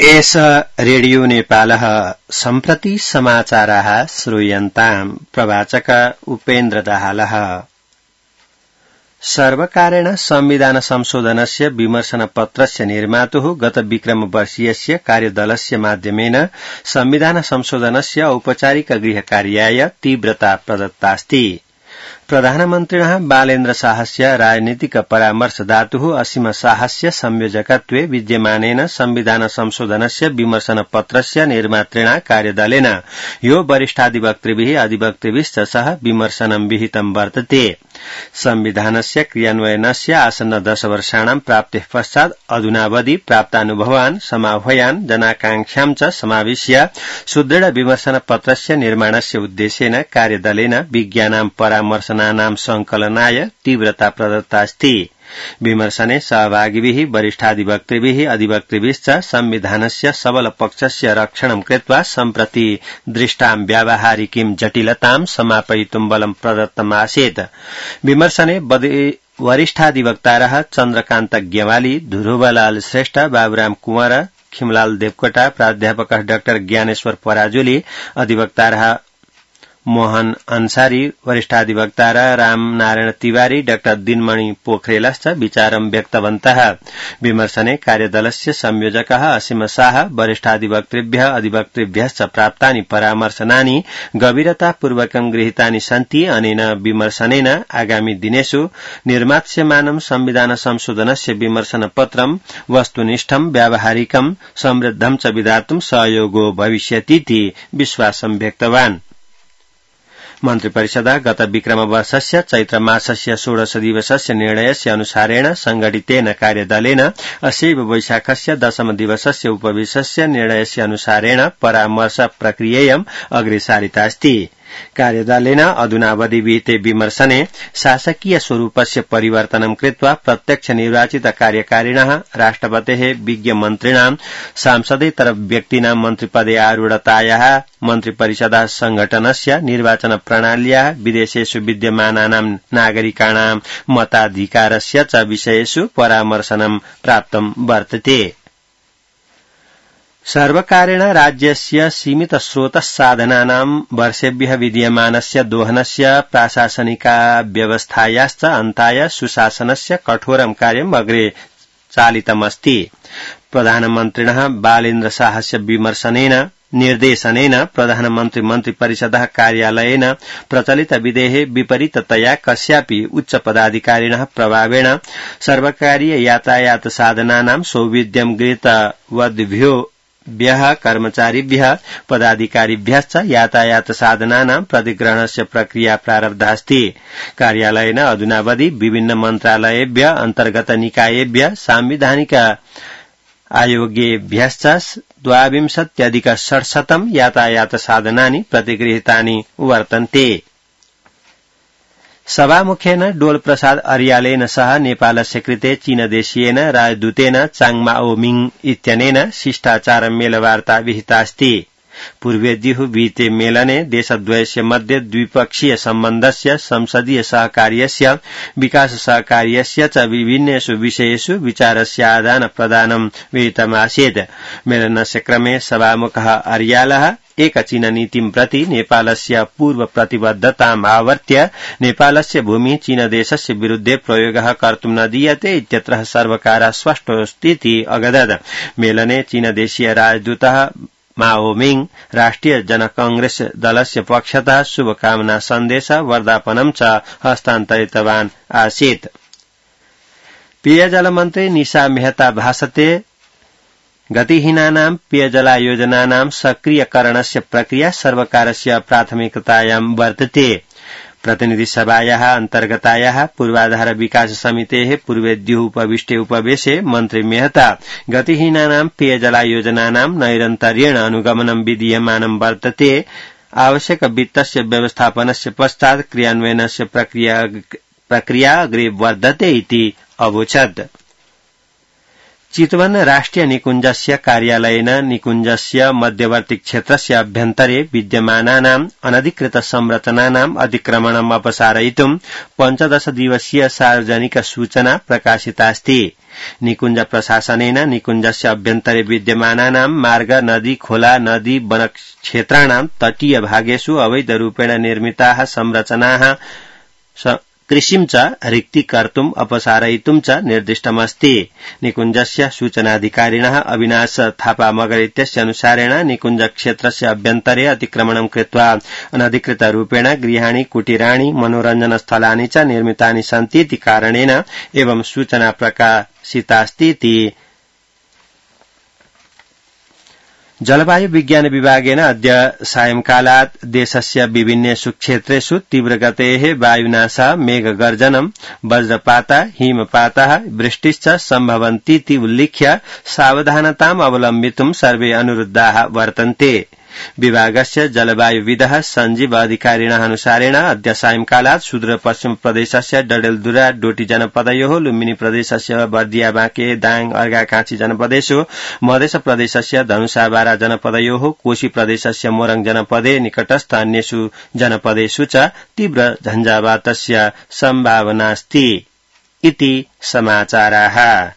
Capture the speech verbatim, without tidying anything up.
एष रेडियो नेपालः सम्प्रति समाचाराः श्रूयन्ताम् प्रवाचक उपेन्द्र दाहालः। सर्वकारेण संविधान संशोधनस्य विमर्शनपत्रस्य निर्मातुः गत विक्रमवर्षीयस्य कार्यदलस्य माध्यमेन संविधान संशोधनस्य औपचारिक गृहकार्याय तीव्रता प्रदत्तास्ति। प्रधानमन्त्रिणः बालेन्द्र शाहस्य राजनीतिक परामर्शदातुः असीम शाहस्य संयोजकत्वे विद्यमानेन संविधान संशोधनस्य विमर्शनपत्रस्य निर्मातृणा कार्यदलेन यो वरिष्ठाधिवक्तृभिः अधिवक्तृभिश्च सह विमर्शनं विहितं वर्तते। संविधानस्य क्रियान्वयनस्य आसन्न दशवर्षाणां प्राप्तेः पश्चात् अधुनावधि प्राप्तानुभवान् समाह्वयान् जनाकांक्षां च समाविश्य सुदृढ विमर्शनपत्रस्य निर्माणस्य उद्देश्येन कार्यदलेन विज्ञानां परामर्शनानां संकलनाय तीव्रता प्रदत्तास्ति। विमर्शने सहभागिभिः वरिष्ठाधिवक्तृभिः अधिवक्तृभिश्च संविधानस्य सबल पक्षस्य रक्षणं कृत्वा सम्प्रति दृष्टां व्यावहारिकीं जटिलतां समापयितुं बलं प्रदत्तमासीत्। विमर्शने वरिष्ठाधिवक्तारः चन्द्रकान्त ग्यवाली, ध्रुवलाल श्रेष्ठ, बाबुराम कुंवर, खिमलाल देवकोटा, प्राध्यापक डाक्टर ज्ञानेश्वर पराजुली, अधिवक्तारः मोहन अंसारी, वरिष्ठाधिवक्तार राम नारायण तिवारी, डाक्टर दिनमणि पोखरेलश्च विचारं व्यक्तवन्तः। विमर्शने कार्यदलस्य संयोजकः असीम शाह वरिष्ठाधिवक्तृभ्यः अधिवक्तृभ्यश्च प्राप्तानि परामर्शनानि गभीरतापूर्वकं गृहीतानि सन्ति। अनेन विमर्शनेन आगामि दिनेषु निर्मास्यमानं संविधान संशोधनस्य विमर्शनपत्रं वस्तुनिष्ठं व्यावहारिकं समृद्धं च विधातुं सहयोगो भविष्यतीति विश्वासं व्यक्तवान्। मन्त्रिपरिषदा गत विक्रमवर्षस्य चैत्रमासस्य षोडश दिवसस्य निर्णयस्य अनुसारेण संघटितेन कार्यदलेन अस्यैव वैशाखस्य दशम दिवसस्य उपवेशस्य निर्णयस्य अनुसारेण परामर्श प्रक्रियेयं अग्रे सारितास्ति। कार्यदलेन अधुनावधि विहिते विमर्शने शासकीय स्वरूपस्य परिवर्तनं कृत्वा प्रत्यक्ष निर्वाचित कार्यकारिणः राष्ट्रपतेः विज्ञमन्त्रिणां सांसदेतर व्यक्तीनां मन्त्रिपदे आरूढतायाः मन्त्रिपरिषदा संघटनस्य निर्वाचन प्रणाल्याः विदेशेषु विद्यमानानां नागरिकाणां मताधिकारस्य च विषयेषु परामर्शनं प्राप्तं वर्तते। सर्वकारेण राज्यस्य सीमित स्रोत साधनानां वर्षेभ्यः विद्यमानस्य दोहनस्य प्राशासनिकाव्यवस्थायाश्च अन्ताय सुशासनस्य कठोरं कार्यम् अग्रे चालितमस्ति। प्रधानमन्त्रिणः बालेन्द्र शाहस्य विमर्शनेन निर्देशनेन प्रधानमन्त्री मन्त्रिपरिषदः कार्यालयेन प्रचलित विधेः विपरीततया कस्यापि उच्च पदाधिकारिणः प्रभावेण सर्वकारीय यातायात साधनानां सौविध्यं गृहीतवद्भ्यो व्यः कर्मचारिभ्यः पदाधिकारिभ्यश्च यातायात साधनानां प्रतिग्रहणस्य प्रक्रिया प्रारब्धास्ति। कार्यालयेन अधुनावधि विभिन्न मन्त्रालयेभ्यः अन्तर्गत निकायेभ्यः सांविधानिक आयोगेभ्यश्च द्वाविंशत्यधिक षट्शतं यातायात साधनानि प्रतिगृहीतानि वर्तन्ते। सभामुखेन डोल प्रसाद अर्यालेन सह नेपालस्य कृते चीनदेशीयेन राजदूतेन चाङमाओमिङ इत्यनेन शिष्टाचार मेलवार्ता विहितास्ति। पूर्वेद्युः विहिते मेलने देशद्वयस्य मध्ये द्विपक्षीय सम्बन्धस्य संसदीय सहकार्यस्य विकास सहकार्यस्य च विभिन्नेषु विषयेषु विचारस्य आदान प्रदानं विहितमासीत्। मेलनस्य क्रमे सभामुखः अर्यालः एक चीन नीतिं प्रति नेपालस्य पूर्व प्रतिबद्धताम् आवर्त्य नेपालस्य भूमि चीनदेशस्य विरुद्धे प्रयोगः कर्तुं न दीयते इत्यत्र सर्वकारः स्पष्टोऽस्तीति अगदत्। मेलने चीनदेशीय राजदूतः माओमिङ राष्ट्रिय जनकांग्रेस दलस्य पक्षतः शुभकामना सन्देश वर्धापनं च हस्तान्तरितवान् आसीत्। पेयजल मन्त्री निशा मेहता भाषते गतिहीनानां पेयजलायोजनानां सक्रियकरणस्य प्रक्रिया सर्वकारस्य प्राथमिकतायां वर्तते। प्रतिनिधि सभायाः अन्तर्गतायाः पूर्वाधार विकास समितेः पूर्वेद्युः उपविष्टे उपवेशे मन्त्री मेहता गतिहीनानां पेयजलायोजनानां नैरन्तर्येण अनुगमनं विधीयमानं वर्तते। आवश्यक वित्तस्य व्यवस्थापनस्य पश्चात् क्रियान्वयनस्य प्रक्रिया प्रक्रिया अग्रे वर्धते इति अवोचत्। चितवन राष्ट्रिय निकुञ्जस्य कार्यालयेन निकुञ्जस्य मध्यवर्ती क्षेत्रस्य अभ्यन्तरे विद्यमानानाम् अनधिकृत संरचनानाम् अतिक्रमणम् अपसारयितुं पञ्चदश दिवसीय सार्वजनिक सूचना प्रकाशितास्ति। निकुञ्ज प्रशासनेन निकुञ्जस्य अभ्यन्तरे विद्यमानानां मार्ग, नदी, खोला, नदी, वनक्षेत्राणां तटीय भागेषु अवैधरूपेण निर्मिताः संरचनाः कृषिं च रिक्तीकर्तुम् अपसारयितुं च निर्दिष्टमस्ति। निकुञ्जस्य सूचनाधिकारिणः अविनाश थापा मगर इत्यस्य अनुसारेण निकुञ्ज क्षेत्रस्य अभ्यन्तरे अतिक्रमणं कृत्वा अनधिकृतरूपेण गृहाणि, कुटीराणि, मनोरञ्जनस्थलानि च निर्मितानि सन्ति इति कारणेन एवं सूचना प्रकाशितास्ति। जलवायु विज्ञान विभागेन अद्य सायंकालात् देशस्य विभिन्नेषु क्षेत्रेषु तीव्रगतेः वायुनाशः, मेघगर्जनम्, वज्रपातः, हिमपातः, वृष्टिश्च सम्भवन्तीति उल्लिख्य सावधानताम् अवलम्बितुं सर्वे अनुरुद्धाः वर्तन्ते। विभागस्य जलवायुविदः सञ्जीव अधिकारिणः अनुसारेण अद्य सायंकालात् सुदूर पश्चिम प्रदेशस्य डडेलधुरा, डोटी जनपदयोः, लुम्बिनी प्रदेशस्य बर्दिया, बाँके, दाङ, अर्घाखाँची जनपदेषु, मधेस प्रदेशस्य धनुषा, बारा जनपदयोः, कोशी प्रदेशस्य मोरङ जनपदे, निकटस्थ अन्येषु जनपदेषु च तीव्र झञ्झावातस्य सम्भावनास्ति इति समाचाराः।